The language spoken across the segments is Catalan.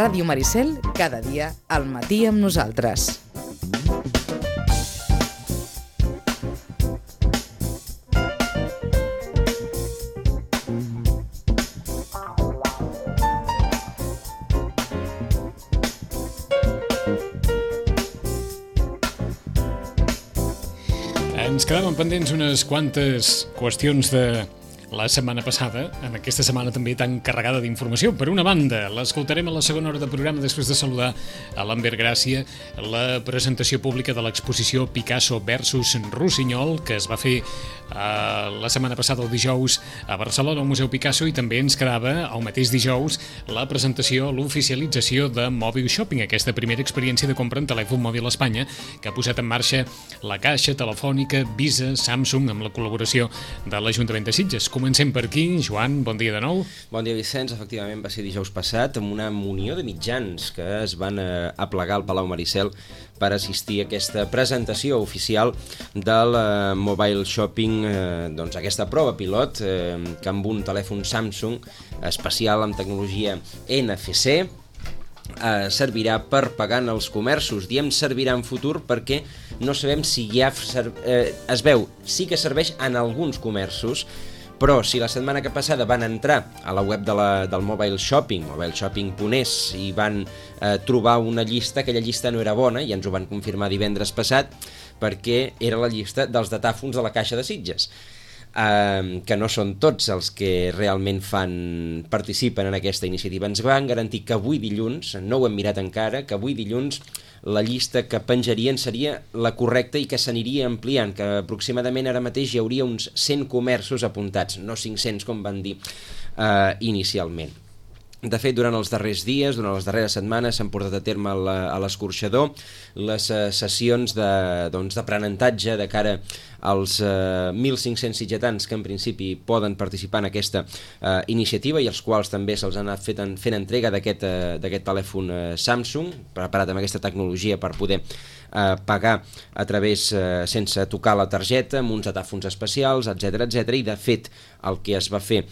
Ràdio Maricel, cada dia al matí amb nosaltres. Ens quedaven pendents unes quantes qüestions de la setmana passada, en aquesta setmana també tan carregada d'informació. Per una banda, l'escoltarem a la segona hora de programa després de saludar a l'Ambert Gràcia, la presentació pública de l'exposició Picasso versus Rossinyol, que es va fer la setmana passada, el dijous, a Barcelona, al Museu Picasso, i també ens quedava el mateix dijous la presentació, l'oficialització de Mòbil Shopping, aquesta primera experiència de compra en telèfon mòbil a Espanya, que ha posat en marxa la Caixa, Telefònica, Visa, Samsung, amb la col·laboració de l'Ajuntament de Sitges. Comencem per aquí. Joan, bon dia de nou. Bon dia, Vicenç. Efectivament va ser dijous passat amb una munió de mitjans que es van aplegar al Palau Maricel per assistir a aquesta presentació oficial del Mobile Shopping, doncs aquesta prova pilot que amb un telèfon Samsung especial amb tecnologia NFC servirà per pagar en els comerços. Diem servirà en futur perquè no sabem si ja es veu, sí que serveix en alguns comerços, però si la setmana que passada van entrar a la web del Mobile Shopping, mobileshopping.es, i van trobar una llista, aquella llista no era bona, i ens ho van confirmar divendres passat, perquè era la llista dels datàfons de la Caixa de Sitges, que no són tots els que realment participen en aquesta iniciativa. Ens van garantir que avui dilluns, no ho hem mirat encara, que avui dilluns la llista que penjarien seria la correcta i que s'aniria ampliant, que aproximadament ara mateix hi hauria uns 100 comerços apuntats, no 500 com van dir inicialment. De fet, durant els darrers dies, durant les darreres setmanes, s'han portat a terme a l'Escorxador les sessions d'aprenentatge de cara als 1.500 sitgetans que en principi poden participar en aquesta iniciativa i als quals també se'ls ha anat fent entrega d'aquest telèfon Samsung, preparat amb aquesta tecnologia per poder pagar a través, sense tocar la targeta, amb uns datàfons especials, etc. I de fet el que es va fer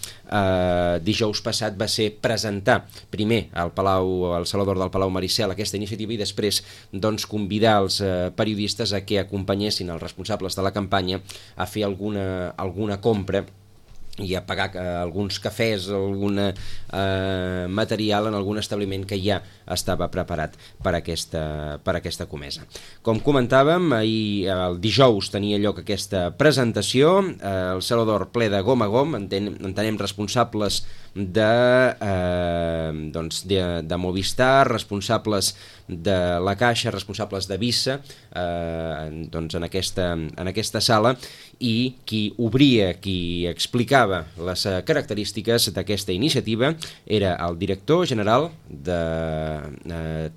dijous passat va ser presentar primer al Saló d'Or del Palau Maricel aquesta iniciativa i després convidar els periodistes a que acompanyessin els responsables de la campanya a fer alguna compra i a pagar alguns cafès, algun material en algun establiment que ja estava preparat per aquesta comesa. Com comentàvem, ahir el dijous tenia lloc aquesta presentació, el Saló d'Or ple de gom a gom, entenem responsables de Movistar, responsables de la Caixa, responsables de Visa en aquesta sala, i qui obria, qui explicava les característiques d'aquesta iniciativa era el director general de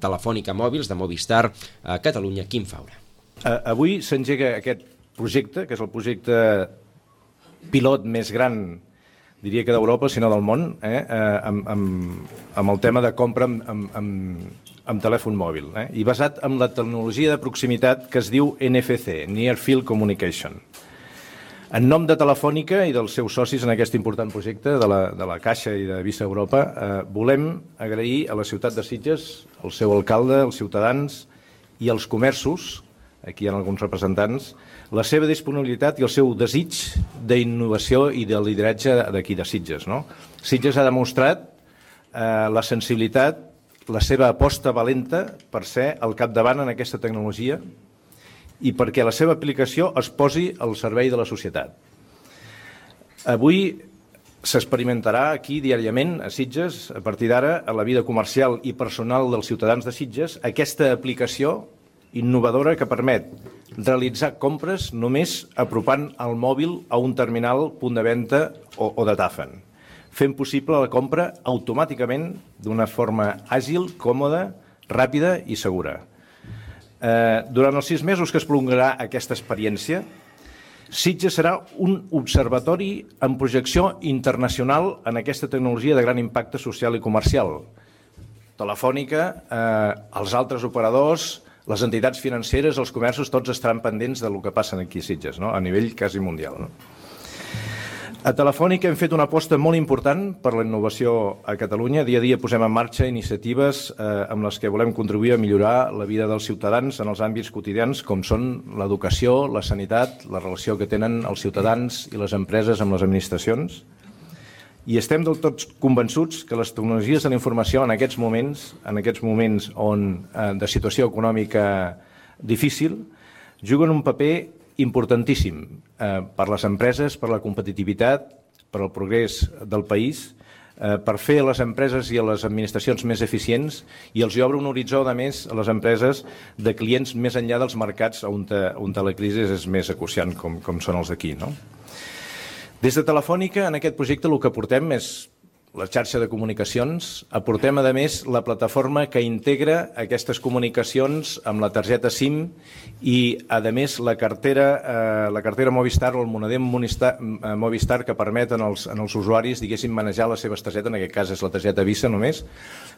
Telefònica Mòbils, de Movistar a Catalunya, Quim Faura. Avui s'engega aquest projecte, que és el projecte pilot més gran, diria que d'Europa, sinó del món, amb el tema de compra amb telèfon mòbil, i basat en la tecnologia de proximitat que es diu NFC, Near Field Communication. En nom de Telefònica i dels seus socis en aquest important projecte de la Caixa i de Visa Europa, volem agrair a la ciutat de Sitges, al seu alcalde, als ciutadans i als comerços, aquí hi ha alguns representants, la seva disponibilitat i el seu desig d'innovació i de lideratge d'aquí de Sitges. Sitges ha demostrat la sensibilitat, la seva aposta valenta per ser al capdavant en aquesta tecnologia i perquè la seva aplicació es posi al servei de la societat. Avui s'experimentarà aquí diàriament a Sitges, a partir d'ara, a la vida comercial i personal dels ciutadans de Sitges, aquesta aplicació innovadora que permet realitzar compres només apropant el mòbil a un terminal, punt de venda o datàfon, fent possible la compra automàticament d'una forma àgil, còmoda, ràpida i segura. Durant els 6 mesos que es prolongarà aquesta experiència, Sitges serà un observatori amb projecció internacional en aquesta tecnologia de gran impacte social i comercial. Telefònica, els altres operadors, les entitats financeres, els comerços, tots estaran pendents del que passa aquí a Sitges, a nivell quasi mundial. A Telefònica hem fet una aposta molt important per la innovació a Catalunya. Dia a dia posem en marxa iniciatives amb les que volem contribuir a millorar la vida dels ciutadans en els àmbits quotidians, com són l'educació, la sanitat, la relació que tenen els ciutadans i les empreses amb les administracions. I estem del tot convençuts que les tecnologies de la informació en aquests moments de situació econòmica difícil, juguen un paper importantíssim per les empreses, per la competitivitat, per al progrés del país, per fer a les empreses i a les administracions més eficients, i els obre un horitzó, a més, a les empreses de clients més enllà dels mercats on la crisi és més acuciant, com són els d'aquí, no? Des de Telefònica, en aquest projecte, el que portem és la xarxa de comunicacions. Aportem, a més, la plataforma que integra aquestes comunicacions amb la targeta SIM i, a més, la cartera Movistar o el monedem Movistar que permeten als usuaris, diguéssim, manejar les seves targetes. En aquest cas és la targeta Visa només,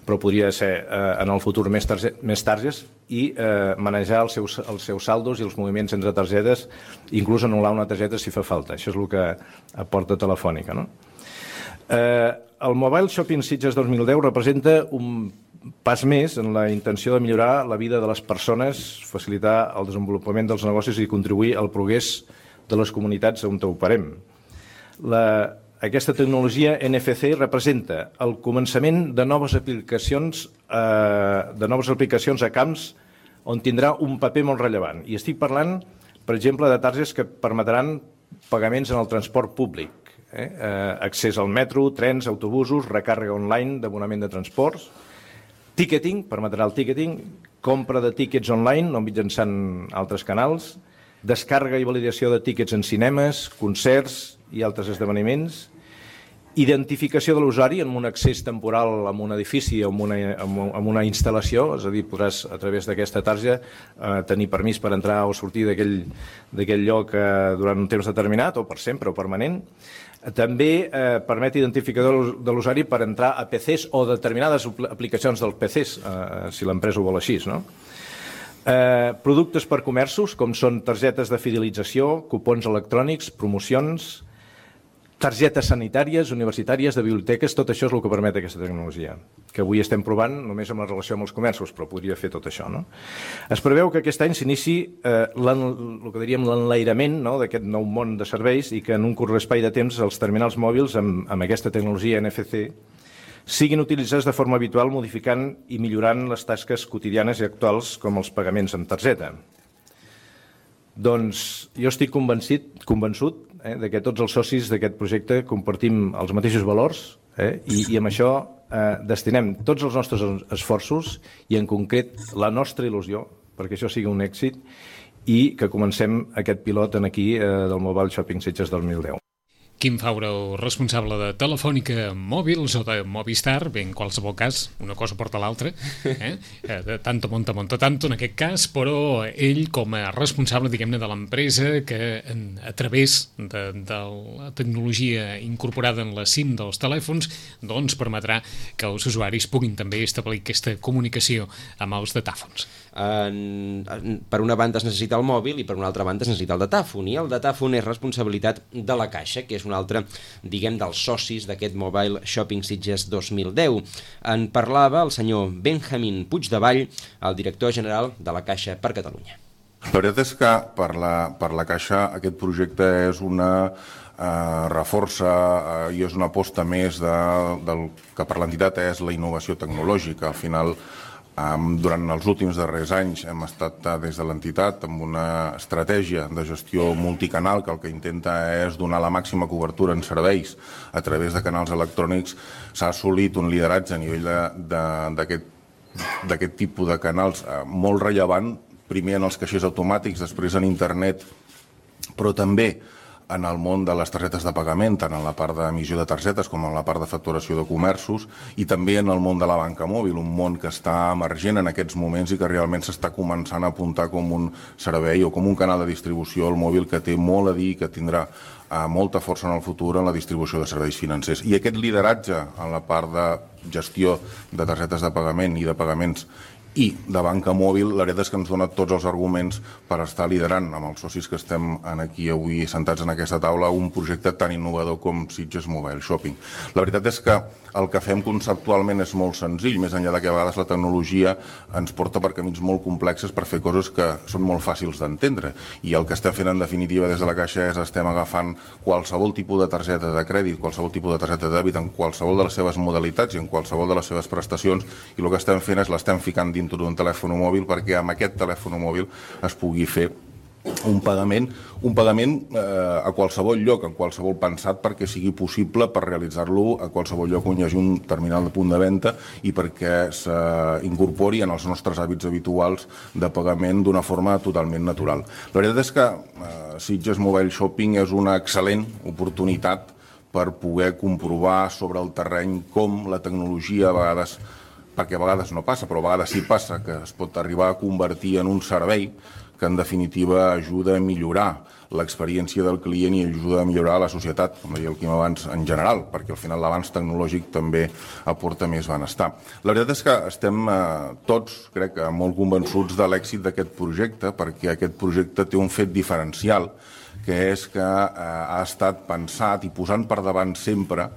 però podria ser en el futur més targetes, i manejar els seus saldos i els moviments entre targetes, inclús anul·lar una targeta si fa falta. Això és el que aporta Telefònica, no? El Mobile Shopping Sitges 2010 representa un pas més en la intenció de millorar la vida de les persones, facilitar el desenvolupament dels negocis i contribuir al progrés de les comunitats on operem. Aquesta tecnologia NFC representa el començament de noves aplicacions a camps on tindrà un paper molt rellevant. I estic parlant, per exemple, de targetes que permetran pagaments en el transport públic, accés al metro, trens, autobusos, recàrrega online d'abonament de transports, ticketing, permetrà el ticketing, compra de tíquets online no mitjançant altres canals, descàrrega i validació de tíquets en cinemes, concerts i altres esdeveniments, identificació de l'usuari en un accés temporal a un edifici o en una instal·lació, és a dir, podràs a través d'aquesta targeta tenir permís per entrar o sortir d'aquell lloc durant un temps determinat o per sempre o permanent. També permet identificador de l'usuari per entrar a PCs o determinades aplicacions dels PCs, si l'empresa ho vol així, no? Productes per comerços, com són targetes de fidelització, cupons electrònics, promocions, targetes sanitàries, universitàries, de biblioteques, tot això és el que permet aquesta tecnologia, que avui estem provant només amb la relació amb els comerços, però podria fer tot això, no? Es preveu que aquest any s'inici el que diríem l'enlairament d'aquest nou món de serveis i que en un curt espai de temps els terminals mòbils amb aquesta tecnologia NFC siguin utilitzats de forma habitual, modificant i millorant les tasques quotidianes i actuals com els pagaments amb targeta. Doncs jo estic convençut que tots els socis d'aquest projecte compartim els mateixos valors i amb això destinem tots els nostres esforços i en concret la nostra il·lusió perquè això sigui un èxit i que comencem aquest pilot aquí del Mobile Shopping Sitges 2010. Quim Faura, responsable de Telefònica Mòbils o de Movistar, bé, en qualsevol cas, una cosa porta l'altra, de tanto monta tanto en aquest cas, però ell com a responsable, diguem-ne, de l'empresa que a través de la tecnologia incorporada en la SIM dels telèfons doncs permetrà que els usuaris puguin també establir aquesta comunicació amb els datàfons. Per una banda es necessita el mòbil i per una altra banda es necessita el datàfon, i el datàfon és responsabilitat de la Caixa, que és un altre, diguem, dels socis d'aquest Mobile Shopping Sitges 2010. En parlava el senyor Benjamín Puigdevall, el director general de la Caixa per Catalunya. La veritat és que per la Caixa aquest projecte és una reforça i és una aposta més del que per l'entitat és la innovació tecnològica. Al final, durant els últims darrers anys hem estat des de l'entitat amb una estratègia de gestió multicanal que el que intenta és donar la màxima cobertura en serveis a través de canals electrònics. S'ha assolit un lideratge a nivell d'aquest tipus de canals molt rellevant, primer en els caixers automàtics, després en internet, però també en el món de les targetes de pagament, tant en la part d'emissió de targetes com en la part de facturació de comerços, i també en el món de la banca mòbil, un món que està emergent en aquests moments i que realment s'està començant a apuntar com un servei o com un canal de distribució al mòbil que té molt a dir i que tindrà molta força en el futur en la distribució de serveis financers. I aquest lideratge en la part de gestió de targetes de pagament i de pagaments i de banca mòbil, la veritat és que ens dona tots els arguments per estar liderant amb els socis que estem aquí avui sentats en aquesta taula un projecte tan innovador com Sitges Mobile Shopping. La veritat és que el que fem conceptualment és molt senzill, més enllà de que a vegades la tecnologia ens porta per camins molt complexes per fer coses que són molt fàcils d'entendre. I el que estem fent en definitiva des de la Caixa és estem agafant qualsevol tipus de targeta de crèdit, qualsevol tipus de targeta de dèbit en qualsevol de les seves modalitats i en qualsevol de les seves prestacions, i el que estem fent és l'estem ficant dintre d'un telèfon mòbil perquè amb aquest telèfon mòbil es pugui fer un pagament a qualsevol lloc, en qualsevol pensat perquè sigui possible per realitzar-lo a qualsevol lloc on hi hagi un terminal de punt de venda i perquè s'incorpori en els nostres hàbits habituals de pagament d'una forma totalment natural. La veritat és que Sitges Mobile Shopping és una excel·lent oportunitat per poder comprovar sobre el terreny com la tecnologia a vegades, perquè a vegades no passa, però a vegades sí passa, que es pot arribar a convertir en un servei que en definitiva ajuda a millorar l'experiència del client i ajuda a millorar la societat, com deia el Quim abans, en general, perquè al final l'avanç tecnològic també aporta més benestar. La veritat és que estem tots, crec, molt convençuts de l'èxit d'aquest projecte, perquè aquest projecte té un fet diferencial, que és que ha estat pensat i posant per davant sempre,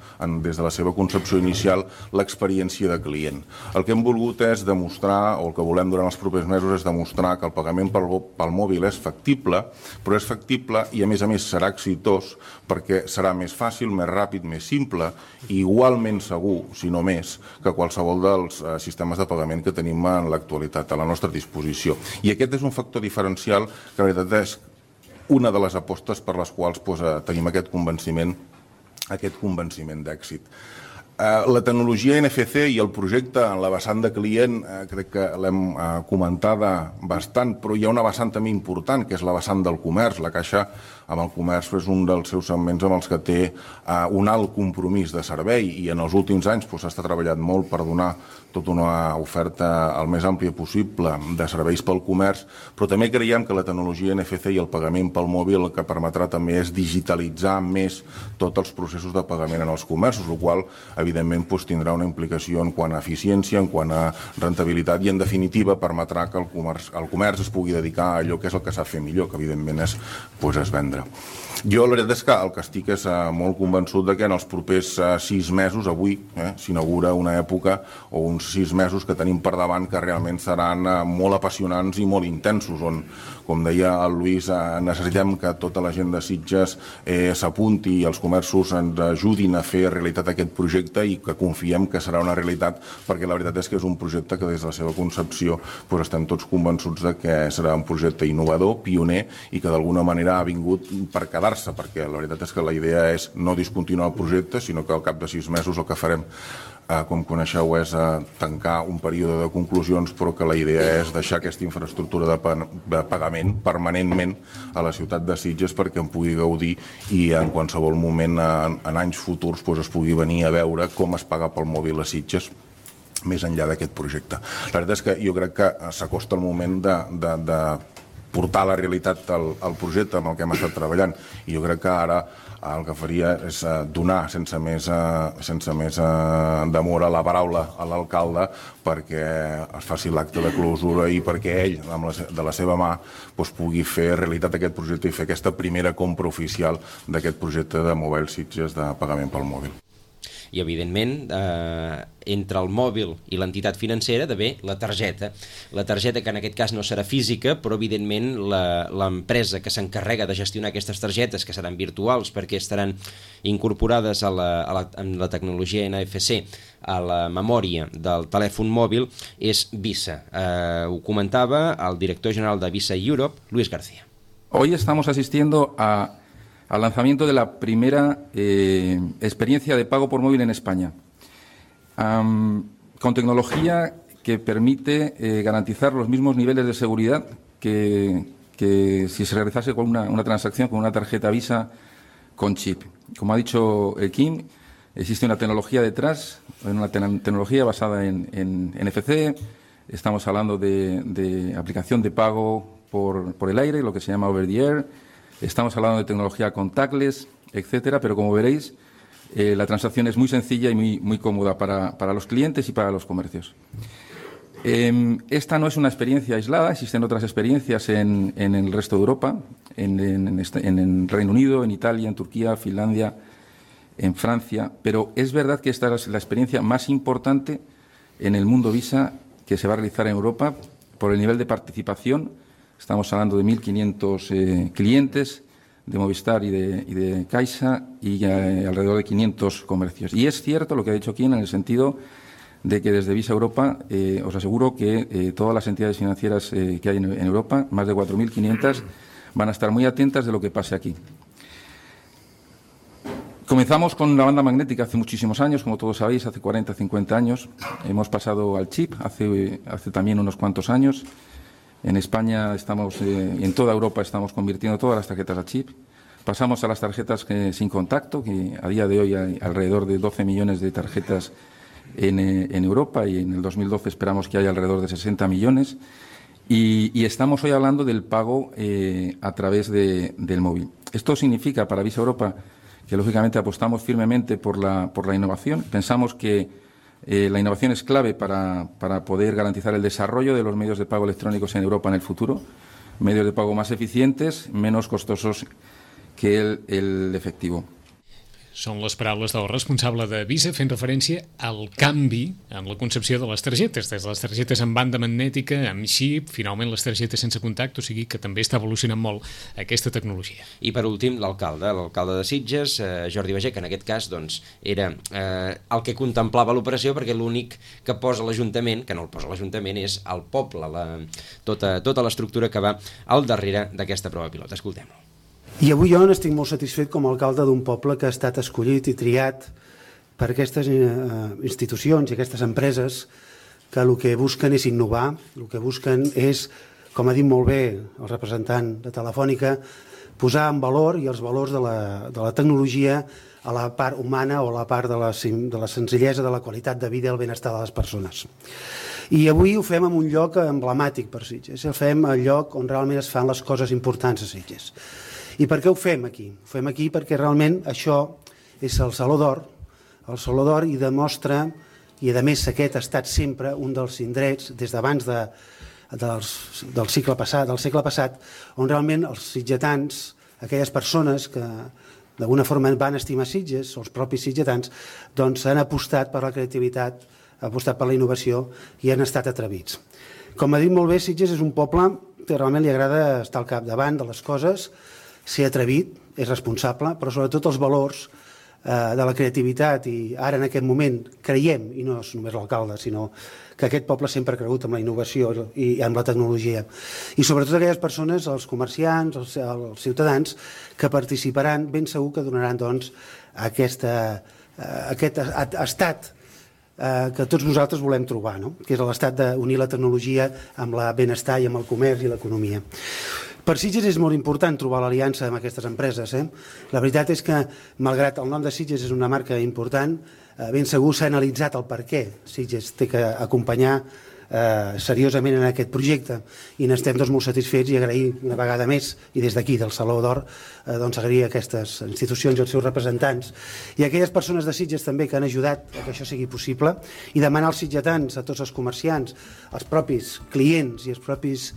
des de la seva concepció inicial, l'experiència de client. El que hem volgut és demostrar, o el que volem durant els propers mesos, és demostrar que el pagament pel mòbil és factible, però és factible i a més serà exitós perquè serà més fàcil, més ràpid, més simple i igualment segur, si no més, que qualsevol dels sistemes de pagament que tenim en l'actualitat a la nostra disposició. I aquest és un factor diferencial que la veritat és una de les apostes per les quals tenim aquest convenciment d'èxit. La tecnologia NFC i el projecte en la vessant de client crec que l'hem comentada bastant, però hi ha una vessant també important, que és la vessant del comerç. La Caixa amb el comerç és un dels seus segments amb els que té un alt compromís de servei i en els últims anys s'ha treballat molt per donar tota una oferta el més àmplia possible de serveis pel comerç, però també creiem que la tecnologia NFC i el pagament pel mòbil el que permetrà també és digitalitzar més tots els processos de pagament en els comerços, el qual evidentment tindrà una implicació en quant a eficiència, en quant a rentabilitat i en definitiva permetrà que el comerç es pugui dedicar a allò que és el que sap fer millor, que evidentment és vendre. Jo la veritat és que el que estic és molt convençut que en els propers 6 mesos, avui s'inaugura una època o uns 6 mesos que tenim per davant que realment seran molt apassionants i molt intensos, on, com deia el Lluís, necessitem que tota la gent de Sitges s'apunti i els comerços ens ajudin a fer realitat aquest projecte i que confiem que serà una realitat, perquè la veritat és que és un projecte que des de la seva concepció estem tots convençuts que serà un projecte innovador, pioner i que d'alguna manera ha vingut per quedar-se, perquè la veritat és que la idea és no discontinuar el projecte, sinó que al cap de 6 mesos el que farem, com coneixeu, és tancar un període de conclusions, però que la idea és deixar aquesta infraestructura de pagament permanentment a la ciutat de Sitges perquè en pugui gaudir i en qualsevol moment en anys futurs es pugui venir a veure com es paga pel mòbil a Sitges més enllà d'aquest projecte. La veritat és que jo crec que s'acosta el moment de portar a la realitat el projecte amb el que hem estat treballant i jo crec que ara el que faria és donar sense més demora la paraula a l'alcalde perquè es faci l'acte de clausura i perquè ell, de la seva mà, pugui fer realitat aquest projecte i fer aquesta primera compra oficial d'aquest projecte de Mobile Sitges de pagament pel mòbil. I, evidentment, entre el mòbil i l'entitat financera, la targeta. La targeta, que en aquest cas no serà física, però, evidentment, l'empresa que s'encarrega de gestionar aquestes targetes, que seran virtuals perquè estaran incorporades en la tecnologia NFC a la memòria del telèfon mòbil, és Visa. Ho comentava el director general de Visa Europe, Luis García. Hoy estamos asistiendo al lanzamiento de la primera experiencia de pago por móvil en España, con tecnología que permite garantizar los mismos niveles de seguridad que si se realizase con una transacción con una tarjeta Visa con chip. Como ha dicho el Kim, existe una tecnología detrás, una tecnología basada en NFC. Estamos hablando de aplicación de pago por el aire, lo que se llama over the air. Estamos hablando de tecnología contactless, etcétera, pero como veréis, la transacción es muy sencilla y muy cómoda para los clientes y para los comercios. Esta no es una experiencia aislada, existen otras experiencias en el resto de Europa, en Reino Unido, en Italia, en Turquía, Finlandia, en Francia, pero es verdad que esta es la experiencia más importante en el mundo Visa que se va a realizar en Europa por el nivel de participación. Estamos hablando de 1.500 clientes de Movistar y de Caixa y alrededor de 500 comercios. Y es cierto lo que ha dicho Kim en el sentido de que desde Visa Europa os aseguro que todas las entidades financieras que hay en Europa, más de 4.500, van a estar muy atentas de lo que pase aquí. Comenzamos con la banda magnética hace muchísimos años, como todos sabéis, hace 40, 50 años. Hemos pasado al chip hace también unos cuantos años. En España estamos, y en toda Europa estamos convirtiendo todas las tarjetas a chip. Pasamos a las tarjetas sin contacto, que a día de hoy hay alrededor de 12 millones de tarjetas en Europa y en el 2012 esperamos que haya alrededor de 60 millones. Y estamos hoy hablando del pago a través del móvil. Esto significa para Visa Europa que lógicamente apostamos firmemente por la innovación. Pensamos que la innovación es clave para poder garantizar el desarrollo de los medios de pago electrónicos en Europa en el futuro. Medios de pago más eficientes, menos costosos que el efectivo. Són les paraules del responsable de Visa fent referència al canvi en la concepció de les targetes, des de les targetes amb banda magnètica, amb xip, finalment les targetes sense contacte, o sigui que també està evolucionant molt aquesta tecnologia. I per últim, l'alcalde de Sitges, Jordi Bagé, que en aquest cas doncs, era el que contemplava l'operació, perquè l'únic que posa l'Ajuntament, que no el posa l'Ajuntament, és el poble, tota l'estructura que va al darrere d'aquesta prova pilot. Escoltem-lo. I avui jo n'estic molt satisfet com a alcalde d'un poble que ha estat escollit i triat per aquestes institucions i aquestes empreses que el que busquen és innovar, el que busquen és, com ha dit molt bé el representant de Telefònica, posar en valor i els valors de la tecnologia a la part humana o a la part de la senzillesa, de la qualitat de vida i el benestar de les persones. I avui ho fem en un lloc emblemàtic per Sitges, ho fem al lloc on realment es fan les coses importants a Sitges. I per què ho fem aquí? Ho fem aquí perquè realment això és el Saló d'Or i demostra, i a més aquest ha estat sempre un dels indrets des d'abans del segle passat, on realment els sitgetans, aquelles persones que d'alguna forma van estimar Sitges, els propis sitgetans, doncs han apostat per la creativitat, han apostat per la innovació i han estat atrevits. Com ha dit molt bé, Sitges és un poble que realment li agrada estar al capdavant de les coses, ser atrevit, és responsable, però sobretot els valors de la creativitat i ara en aquest moment creiem, i no és només l'alcalde, sinó que aquest poble sempre ha cregut en la innovació i en la tecnologia. I sobretot aquelles persones, els comerciants, els ciutadans, que participaran, ben segur que donaran doncs, aquest estat que tots nosaltres volem trobar, no? Que és l'estat d'unir la tecnologia amb el benestar i amb el comerç i l'economia. Per Sitges és molt important trobar l'aliança amb aquestes empreses. La veritat és que, malgrat el nom de Sitges és una marca important, ben segur s'ha analitzat el per què Sitges té que acompanyar seriosament en aquest projecte i n'estem molt satisfets i agrair una vegada més i des d'aquí del Saló d'Or agrair a aquestes institucions i als seus representants i a aquelles persones de Sitges també que han ajudat a que això sigui possible i demanar als sitgetans, a tots els comerciants, als propis clients i als propis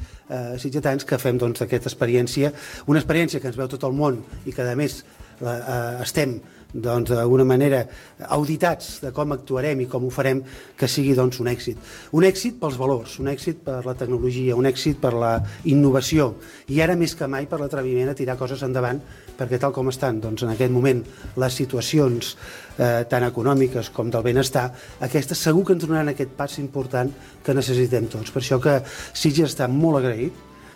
sitgetans que fem aquesta experiència, una experiència que ens veu tot el món i que a més estem d'alguna manera auditats de com actuarem i com ho farem, que sigui un èxit. Un èxit pels valors, un èxit per la tecnologia, un èxit per la innovació i ara més que mai per l'atreviment a tirar coses endavant perquè tal com estan en aquest moment les situacions tant econòmiques com del benestar, aquestes segur que ens donaran aquest pas important que necessitem tots. Per això que Sitges està molt agraït.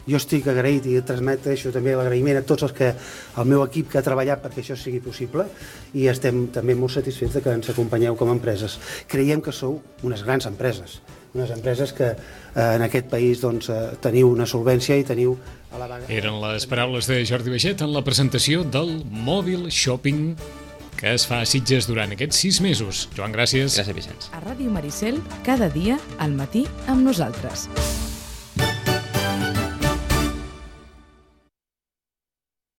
Jo estic agraït i transmeteixo també l'agraïment a tots el meu equip que ha treballat perquè això sigui possible i estem també molt satisfets que ens acompanyeu com a empreses. Creiem que sou unes grans empreses, unes empreses que en aquest país teniu una solvència i teniu a la vaga... Eren les paraules de Jordi Baixet en la presentació del Mòbil Shopping que es fa a Sitges durant aquests 6 mesos. Joan, gràcies. Gràcies, Vicenç. A Ràdio Maricel, cada dia al matí amb nosaltres.